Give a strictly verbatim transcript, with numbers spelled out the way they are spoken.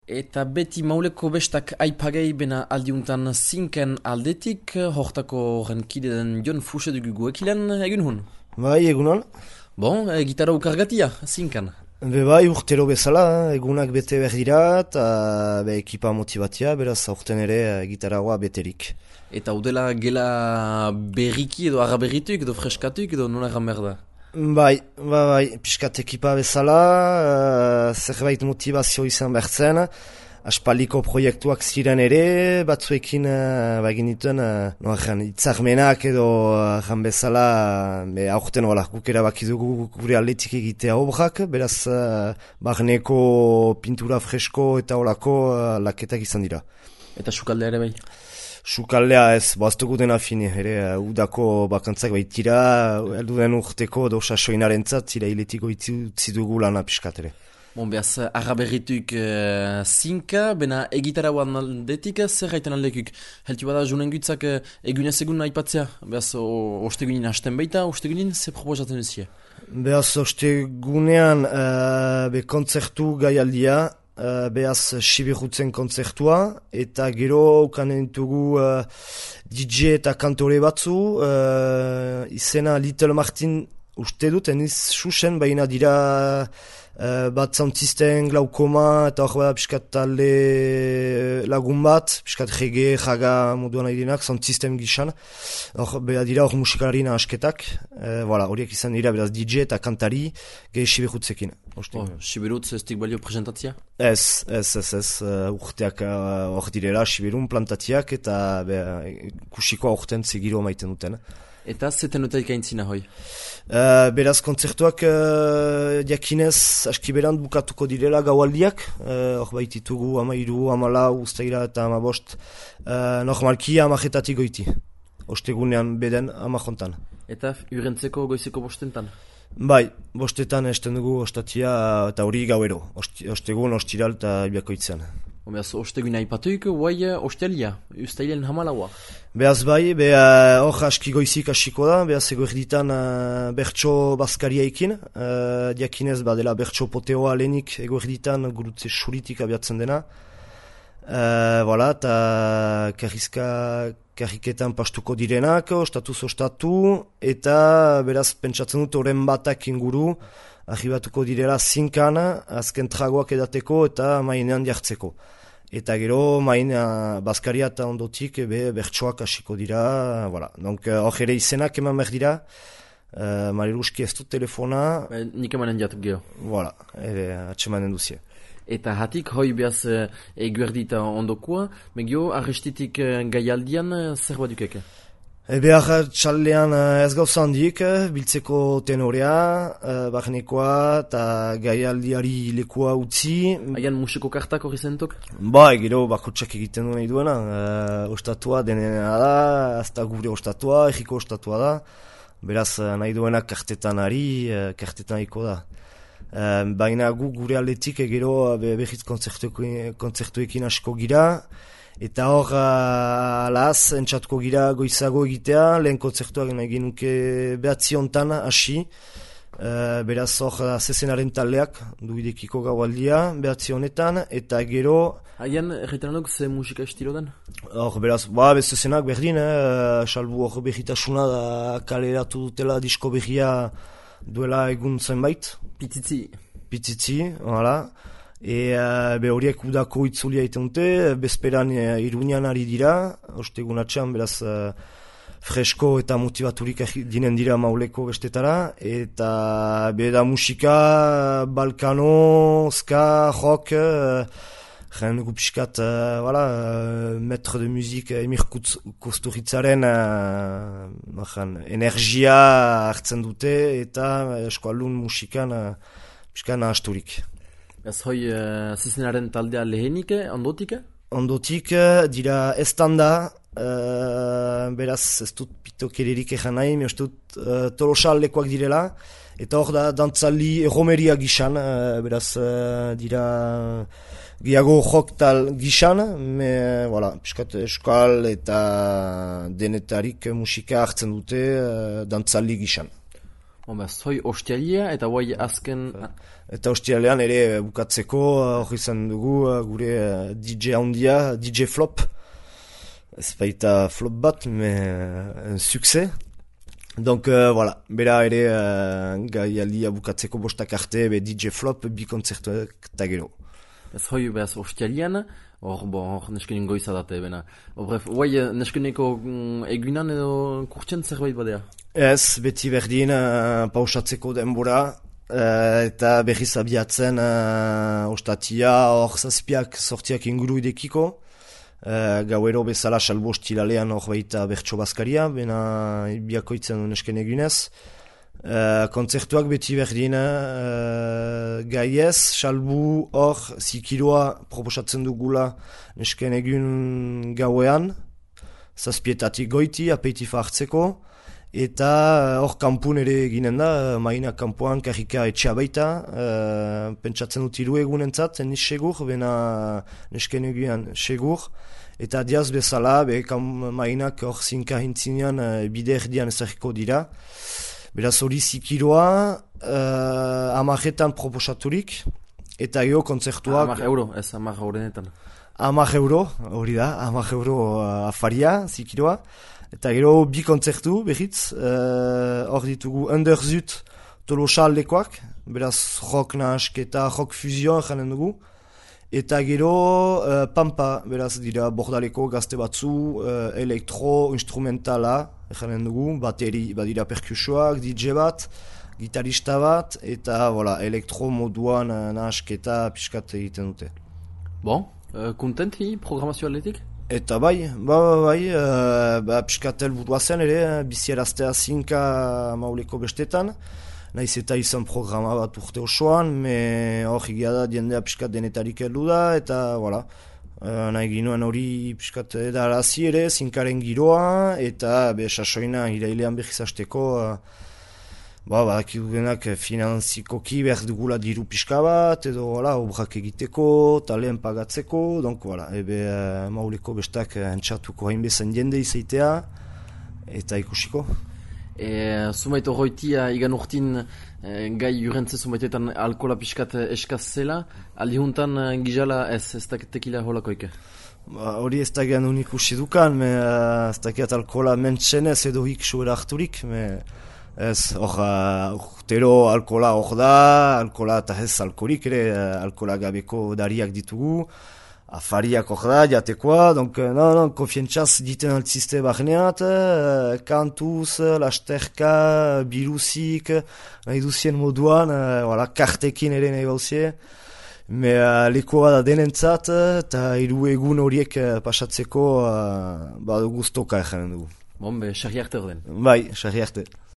Eta beti mauleko bestak aipagei bena aldiuntan zinken aldetik, hortako horren kide den Jon Fuxe dugu guekilen, egun hun? Bai, egunon. Bon, e, gitarra ukargatia, zinken? Be bai, urtero bezala, egunak bete behar dira, eta be, ekipa motibatia, beraz aurten ere gitarragoa beterik. Eta udela gela berriki edo araberrituik edo freskatuik edo nola egan behar da? Bai, bai, bai, piskat ekipa bezala, uh, zerbait motivazio izan behar zen, aspaldiko proiektuak ziren ere, batzuekin uh, bagin dituen, uh, no, itzarmenak edo jan bezala, be, aurten hola, guk erabakidugu gure aldetik egitea obrak, beraz uh, barneko pintura fresko eta holako uh, laketak izan dira. Eta sukaldea ere bai? Sukaldea ez, boaztugu dena fini, ere, uh, udako bakantzak baitira, heldu den urteko dosa soinaren zat, zira hiletiko itzi dugu lana piskat ere. Bon, behaz, araberrituik uh, zinka, bena egitara guan aldetik, zer gaiten aldekuk? Heltu bada junen gutzak uh, egunez egun aipatzea, behaz, ostegunin hasten baita, ostegunin, ze proposatzen duzia? Behaz, ostegunean, uh, be kontzertu gaialdia, Uh, behaz Sibirutzen kontzertua, eta gero ukanen dugu uh, D J eta kantore batzu, uh, izena Little Martin uste dut, eniz susen, baina dira uh, bat zauntzisten glaukoma, eta hor bada piskat talde lagun bat, piskat rege, jaga moduan nahi dinak, zauntzisten gisan, hor bera dira hor musikarina asketak, uh, voilà, horiek izan dira beraz D J eta kantari gehi Sibirutzekin. Oh, Sibirutz ez dik balio presentatzia? Ez, ez, ez, ez, uh, urteak hor uh, direla, Sibirun plantatiak eta be, kusiko aurten zegiro maiten duten. Eta zeten dut ikaintzina hoi? Uh, beraz, kontzertuak uh, diakinez askiberant bukatuko direla gaualdiak, hor uh, baititugu amairu, amalau, ustaira eta amabost, uh, normalki amajetatik goiti, ostegunean beden amajontan. Eta urentzeko goizeko bostentan? Bai, bostetan esten dugu ostatia eta hori gauero, ostegun, ostiral eta ibiakoitzen. Beaz, ostegun aipatuik, guai ostelia, ustailen hamalaua? Beaz bai, beha hor aski goizik asiko da, beaz ego erditan uh, bertso bazkariaikin, uh, diakinez badela bertso poteoa lehenik ego erditan gurutze suritik abiatzen dena. Uh, voilà, eta karrizka karriketan pastuko direnak, ostatuz ostatu, eta beraz pentsatzen dut horren batak inguru, arribatuko direla zinkan, azken tragoak edateko eta mainean jartzeko. Eta gero maina bazkaria eta ondotik be, bertsoak hasiko dira, voilà. Donc hor ere izenak eman behar dira, uh, Mariluski ez dut telefona. Ba, nik emanen jatuk geho. Voilà, ere atxemanen duzie. Eta hatik, hoi behaz uh, eguerdita ondokoa, megio arrestitik uh, gaialdian uh, zer bat dukeke? E behar txaldean uh, ez gauza handik, biltzeko tenorea, uh, barnekoa eta gaialdiari lekua utzi. Haian musiko kartak hori zentok? Ba, gero bakotxak egiten du nahi duena, uh, ostatua denena da, azta gure ostatua, egiko ostatua da, beraz nahi duena kartetan ari, uh, kartetan iko da. Uh, baina gu gure aldetik gero behiz kontzertuekin asko gira, eta hor alaz entzatuko gira goizago egitea, lehen kontzertuak egin nuke behatzi hontan hasi, uh, beraz hor zezenaren taldeak duidekiko gaualdia behatzi honetan, eta gero... Haian erretan duk ze musika estilo den? Hor beraz, ba, bezezenak berdin, eh, salbu hor behitasuna da kaleratu dutela disko behia duela egun zenbait. Pitzitzi. Pitzitzi, hala. E uh, be horiek udako itzulia itenute, bezperan uh, Iruñan ari dira, ostegun atxean, beraz uh, fresko eta motivaturik dinen dira mauleko bestetara, eta be da musika, balkano, ska, rock, uh, gen gupiskat, uh, voilà, uh, maître de musique Emir Kusturitzaren uh, energia hartzen dute, eta eskualun musikan uh, piskan ahasturik. Ez hoi uh, zezenaren taldea lehenik, ondotik? Ondotik dira estanda, uh, beraz ez dut pitokeririk ezan nahi, me uste dut uh, tolosaldekoak direla, eta hor da dantzali erromeria gisan, uh, beraz uh, dira gehiago joktal gisan, me, voilà, piskat eskal eta denetarik musika hartzen dute uh, dantzali gisan. Homba, zoi ostialia eta guai azken... Eta ostialean ere bukatzeko hori izan dugu gure D J handia, D J Flop. Ez baita flop bat, me un succès. Donc, euh, voilà, bera ere uh, gaialdia bukatzeko bostak arte, be D J Flop, bi kontzertuak eta gero. Ez hoi behaz ostialian, hor bo, hor neskenin goiza date, bena. Bref, guai neskeneko mm, egunan edo kurtsen zerbait badea? Ez, beti berdin uh, pausatzeko denbora, uh, eta berriz abiatzen uh, ostatia hor zazpiak sortiak inguru idekiko. Uh, gauero bezala salbo ostilalean hor baita bertso bazkaria, bena biakoitzen nesken egunez. Uh, kontzertuak beti berdin uh, gaiez, salbu hor zikiroa proposatzen dugula nesken egun gauean, zazpietatik goiti, apeitifa hartzeko. Eta hor uh, kampun ere eginen da, uh, maina kampuan karrika etxea baita, uh, pentsatzen dut hiru egunentzat, eniz segur, bena nesken eguan segur. Eta diaz bezala, be, kam, mainak hor zinka hintzinean uh, bide erdian ezagiko dira. Beraz hori zikiroa, uh, amaretan proposaturik, eta gero kontzertuak... Amar euro, ez amar euronetan. Amar euro, hori da, amar euro uh, afaria, zikiroa. Eta gero bi kontzertu, behitz, hor uh, ditugu Underzut Tolosa aldekoak, beraz rock nahasketa, rock fusion janen dugu. Eta gero uh, Pampa, beraz dira bordaleko gazte batzu, uh, elektro, instrumentala janen dugu, bateri, badira perkusioak, D J bat, gitarista bat, eta voilà, elektro moduan uh, nahasketa pixkat egiten dute. Bon, uh, kontenti programazio atletik? Eta bai, ba, ba, bai, uh, ba, piskatel burua zen ere, bizieraztea zinka mauleko bestetan, nahiz eta izan programa bat urte osoan, me hor egia da diendea piskat denetarik heldu da, eta voilà, uh, nahi ginoen hori piskat edarazi ere, zinkaren giroa, eta be sasoina irailean behiz hasteko, uh, ba, ba, kidugenak finanzikoki behar dugula diru pixka bat, edo, voilà, obrak egiteko, talen pagatzeko, donc, voilà, ebe uh, mauleko bestak uh, entxatuko hainbezan jende izaitea, eta ikusiko. E, zumait horroitia igan urtin e, gai jurentze zumaitetan alkola pixkat eskaz zela, aldi juntan e, gizala ez, ez tekila holakoike? Ba, hori ez da gehan unik usi dukan, me, uh, ez da gehat alkola mentsenez edo hik suera harturik, me... Ez, hor, urtero uh, alkola hor da, alkola eta ez alkorik ere, uh, alkola gabeko dariak ditugu, afariak hor da, jatekoa, donc, uh, non, non, konfientzaz diten altzizte bahneat, uh, kantuz, lasterka, biruzik, nahi duzien moduan, uh, voilà, kartekin ere nahi bauzie, me uh, lekoa da denentzat, eta hiru egun horiek uh, pasatzeko, uh, ba, guztoka egin dugu. Bon, be, sarri arte orden. Bai, sarri arte.